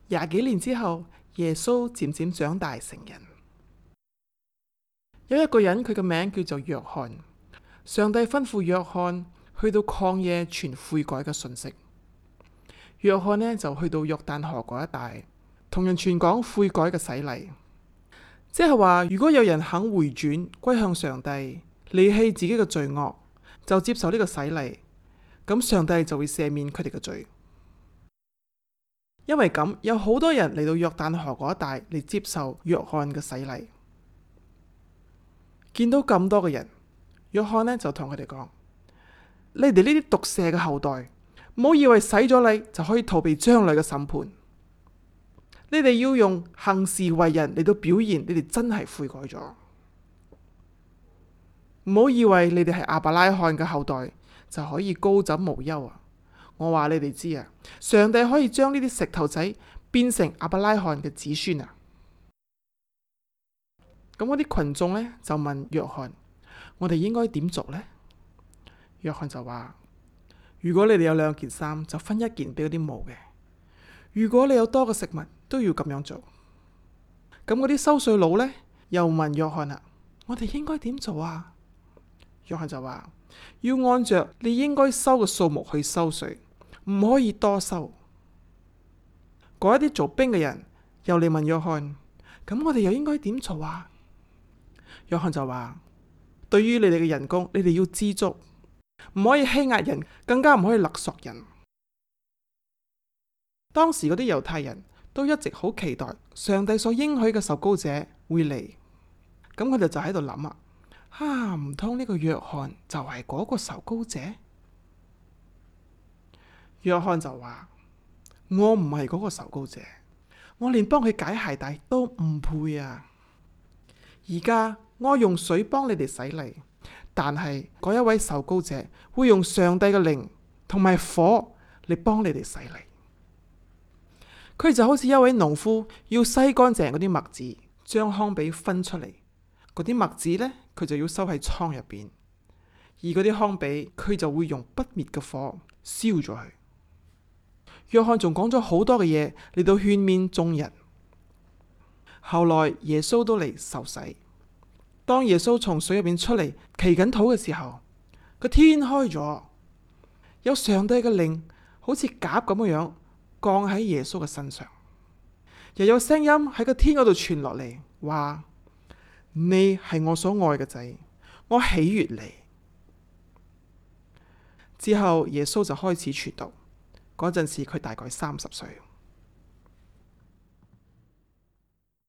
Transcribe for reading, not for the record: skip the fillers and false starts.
20幾年之後，耶穌漸漸長大成人。有一個人，佢嘅名叫做約翰。上帝吩咐約翰去到曠野傳悔改嘅信息。約翰呢就去到約旦河嗰一帶，同人傳講悔改嘅洗禮，即係話如果有人肯回轉歸向上帝，離棄自己嘅罪惡，就接受呢個洗禮，咁上帝就會赦免佢哋嘅罪。因為咁，有好多人嚟到約旦河嗰一帶嚟接受約翰嘅洗禮。見到咁多嘅人，約翰呢就同佢哋講：你哋呢啲毒蛇嘅後代，唔好以為洗咗禮就可以逃避將來嘅審判。你哋要用行事為人嚟到表現你哋真係悔改咗。唔好以為你哋係亞伯拉罕嘅後代就可以高枕無憂啊！我話你哋知啊，上帝可以將呢啲石頭仔變成亞伯拉罕嘅子孫啊！咁嗰啲群眾呢，就問約翰：我哋應該點做呢？約翰就話：如果你哋有2件衫，就分1件俾嗰啲冇嘅；如果你有多嘅食物，都要咁樣做。咁嗰啲收稅佬呢，又問約翰啦：我哋應該點做啊？約翰就話：要按着你應該收嘅數目去收稅，唔可以多收。嗰一啲做兵嘅人又嚟問約翰：咁我哋又應該點做啊？約翰就話：對於你哋嘅人工，你哋要知足，唔可以欺壓人，更加唔可以勒索人。當時嗰啲猶太人都一直好期待上帝所應許嘅受膏者會嚟，咁佢哋就喺度諗啊，唔通呢個約翰就係嗰個受膏者？約翰就話：我唔係嗰個受膏者，我連幫佢解鞋帶都唔配啊！而家我用水幫你哋洗禮，但係嗰一位受膏者會用上帝嘅靈同埋火嚟幫你哋洗禮。佢就好似一位農夫要洗乾淨嗰啲麥子，將糠秕分出嚟。嗰啲麥子呢，佢就要收喺倉入邊，而嗰啲糠秕佢就會用不滅嘅火燒咗佢。約翰仲講咗好多嘅嘢嚟到勸勉眾人。後來耶穌都嚟受洗。當耶穌從水入邊出嚟祈緊禱嘅時候，個天開咗，有上帝嘅靈好似鴿咁嘅樣降喺耶穌嘅身上，又有聲音喺個天嗰度傳落嚟，話：你係我所愛嘅仔，我喜悅你。之後耶穌就開始傳道，嗰陣時佢大概30歲。